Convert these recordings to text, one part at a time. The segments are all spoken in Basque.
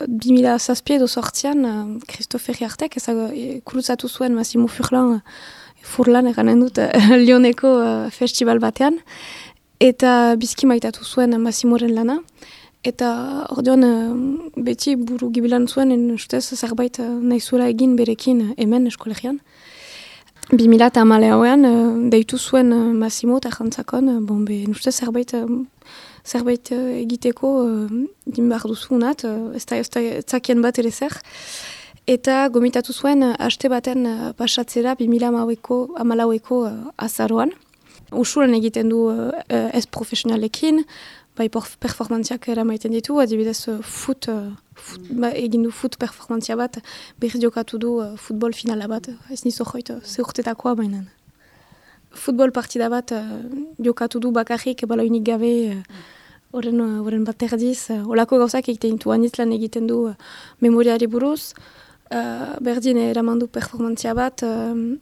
2007 edo sortzian, Christophe Riartek kuruzatu zuen Massimo Furlan eranen dut, Lyoneko festival batean, eta bizki maitatu zuen Massimoren lana. Eta orduan beti buru gibilan zuen, ustez zerbait nahi zuela egin berekin hemen eskolegian. 2008an deitu zuen Massimo eta jantzakon, ustez zerbait egiteko din behar duzu unat, ez zakien bat ere zer. Eta gomitatu zuen haste baten pasatzera 2008ko azaroan. Usulan egiten du ez profesionalekin, bai performantziak eramaiten ditu, adibidez egin du foot performantzia bat, berriz jokatu du futbol finala bat, ez nizo joit ze urtetakoa bainan. Futbol partida bat jokatu du bakarrik, baloinik gabe, horren bat erdiz, olako gauzak egiten ditu, anitlan egiten du memoriari buruz, berdin eramandu performantzia bat,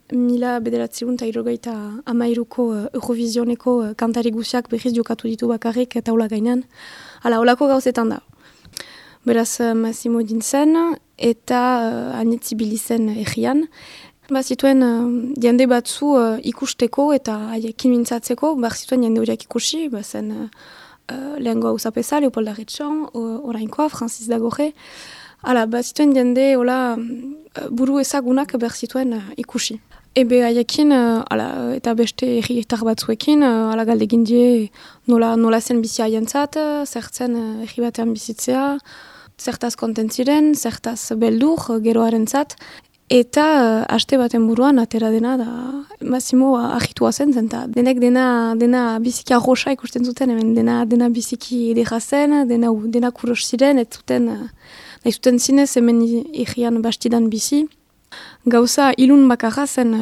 1993ko Eurovisioneko kantari guziak berriz jokatu ditu bakarrik eta hola gainan. Hala, holako gauzetan da. Beraz, Massimo dintzen eta anitzibili zen egian. Zituen jende batzu ikusteko eta haiekin mintzatzeko, zituen jende horiak ikusi, zen lehengoa Uzapeza, Leopold Arretxon, orainkoa, Francis Dagorre. Hala, zituen jende buru ezagunak zituen ikusi. Ebe haiekin, eta beste erritar batzuekin, galdegin die nola zen bizi haientzat, zertzen erri batean bizitzea, zertaz kontentziren, zertaz beldur geroaren zat. Eta haste baten buruan atera dena da Massimo ahitua zen, eta denek dena biziki arroxa ikusten zuten, hemen dena biziki edera zen, dena kuros ziren, ez zuten zinez hemen egian bastidan bizi. Gauza ilun bakarra zen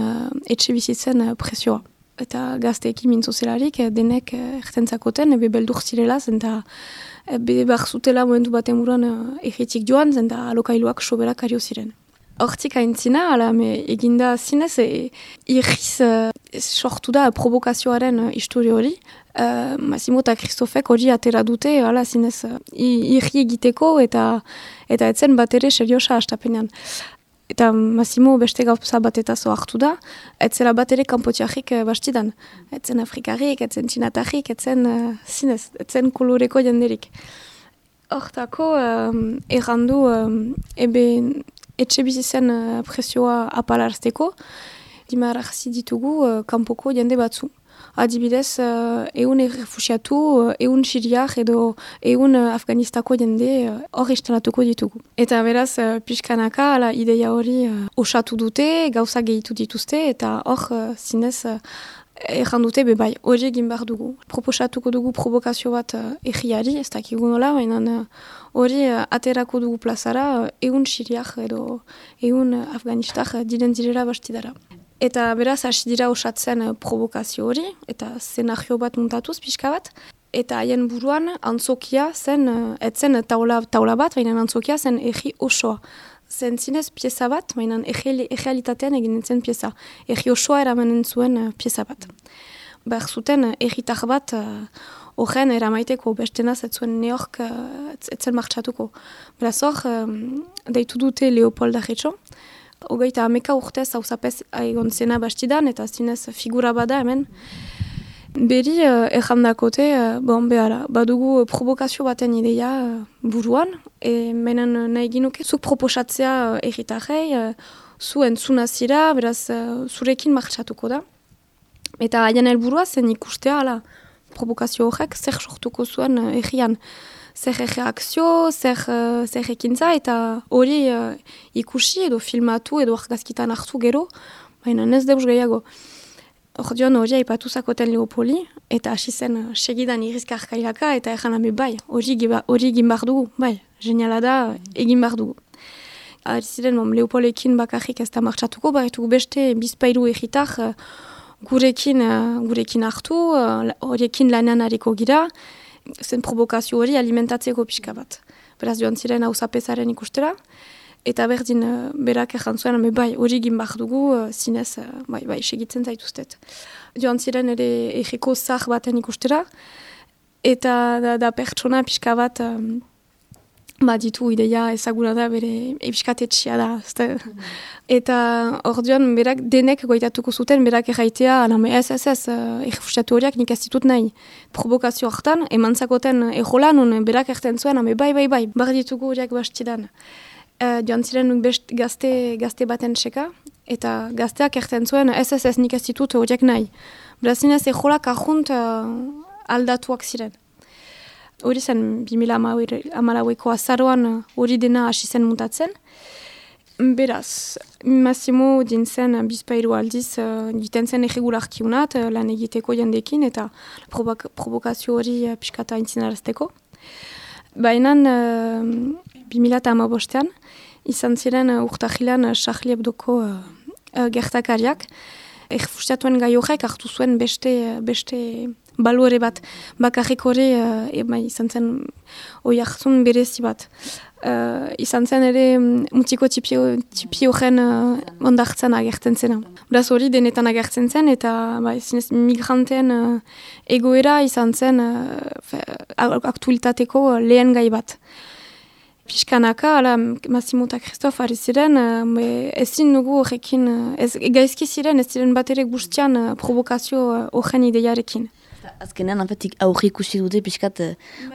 etxe bizitzen presioa. Eta gazteekin mintzozelarik denek ertentzakoten, ebe beldur zirela zen, eta behar zutela momentu baten buruan egitik joan zen, eta alokailuak soberak ario ziren. Hortik aintzina, eginda zinez, irriz sortu da provokazioaren historio hori. Massimo eta Christophek hori atera dute, zinez, irri egiteko eta etzen bat ere seriosa hastapenean. Eta Massimo beste gauza batetazo hartu da, etzela bat ere kanpotiarrik bastidan. Etzen afrikarrik, etzen txinatarrik, etzen koloreko jenderik. Hortako, errandu, etxe bizitzen presioa apalarzteko, dimarrazi ditugu kanpoko jende batzu. Adibidez, ehun errefusiatu, ehun siriak edo ehun Afganistako jende hor instalatuko ditugu. Eta beraz, pixkanaka, ideia hori osatu dute, gauza gehitu dituzte, eta hor zinez erran dute bai, hori egin behar dugu. Proposatuko dugu provokazio bat egiari, ez dakigu nola, baina hori aterako dugu plazara ehun siriak edo ehun Afganistak diren direla bastidara. Eta beraz, hasi dira osatzen provokazio hori, eta szenario bat muntatuz, pixka bat. Eta haien buruan, antzokia zen, etzen taula bat, baina antzokia zen egi osoa. Zen zinez pieza bat, baina errealitatean egin zen pieza. Egi osoa eramanen zuen pieza bat. Behar zuten egitar bat horren eramaiteko, bestenaz ez zuen neork etzen martxatuko. Beraz hor, deitu dute Leopold Arretxon, 30 urtez hauzapez egon zena bastidan, eta zinez figura bada hemen. Beri errandakote, badugu provokazio baten ideia buruan, menen nahi ginuke, zuk proposatzea erritarrei, zu entzuna zira, beraz zurekin martxatuko da. Eta haien helburua zen ikustea, provokazio horrek zer sortuko zuen errian. Zer reakzio, zer ekintza, eta hori ikusi edo filmatu edo argazkitan hartu gero, baina ez deus gehiago. Orduan hori aipatu zakoten Leopoli, eta hasi zen segidan irizkarkailaka, eta erran bai, hori egin behar dugu, bai, geniala da, egin behar dugu. Ziren, Leopolekin bakarrik ez da martxatuko, barretugu beste bizpailu egitar gurekin hartu, horiekin lanean hariko gira, zen provokazio hori alimentatzeko pixka bat. Beraz joan ziren hauzapezaren ikustera, eta berdin berak erran zuen, bai, hori egin behar dugu, zinez, bai, segitzen zaituztet. Joan ziren ere egiko zah baten ikustera, eta da pertsona pixka bat ditu ideia ezaguna da, bere ebiskatetxia da. Eta orduan berak denek goitatuko zuten, berak erraitea, ez, errefusiatu horiak nik ez ditut nahi. Provokazio hartan, emantzakoten ejola, nun berak erten zuen, bai, bar ditugu horiak bastidan. Joan ziren nuk best gazte baten txeka, eta gazteak erten zuen, ez, nik ez ditut horiak nahi. Brazinez ejolak ahunt aldatuak ziren. Hori zen 2014ko azaroan hori dena hasi zen mutatzen. Beraz, Massimo dintzen bizpairu aldiz egiten zen erregularkiunat lan egiteko jendekin eta provokazio hori pixkata aintzinarazteko. Baina 2015an izan ziren urtahilan Charlie Hebdoko gertakariak. Errefusiatuen gai horrek hartu zuen beste baluere bat, bakarrik hori izan zen oi hartzun berezi bat. Izan zen ere mutiko tipi horren ondartzen agertzen zena. Beraz hori denetan agertzen zen eta migranteen egoera izan zen aktualitateko lehen gai bat. Piskanaka, Massimo eta Christophe ari ziren, ezin dugu horrekin, gaizki ziren, ez ziren bat ere guztian provokazio horren ideiarekin. Azkenean, anpetik aurri ikusi dute piskat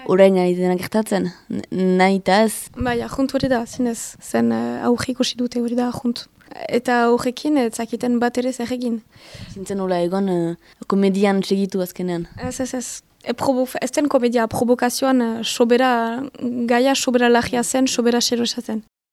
orain ari dena gertatzen, nahi eta ez? Ahunt hori da, zinez, zen aurri ikusi dute hori da ahunt. Eta horrekin, zakiten bat ere zer egin. Zintzen hola egon komedian segitu azkenean? Ez. Ez den komedia, provokazioan gaia sobera lagia zen, sobera xerosa zen.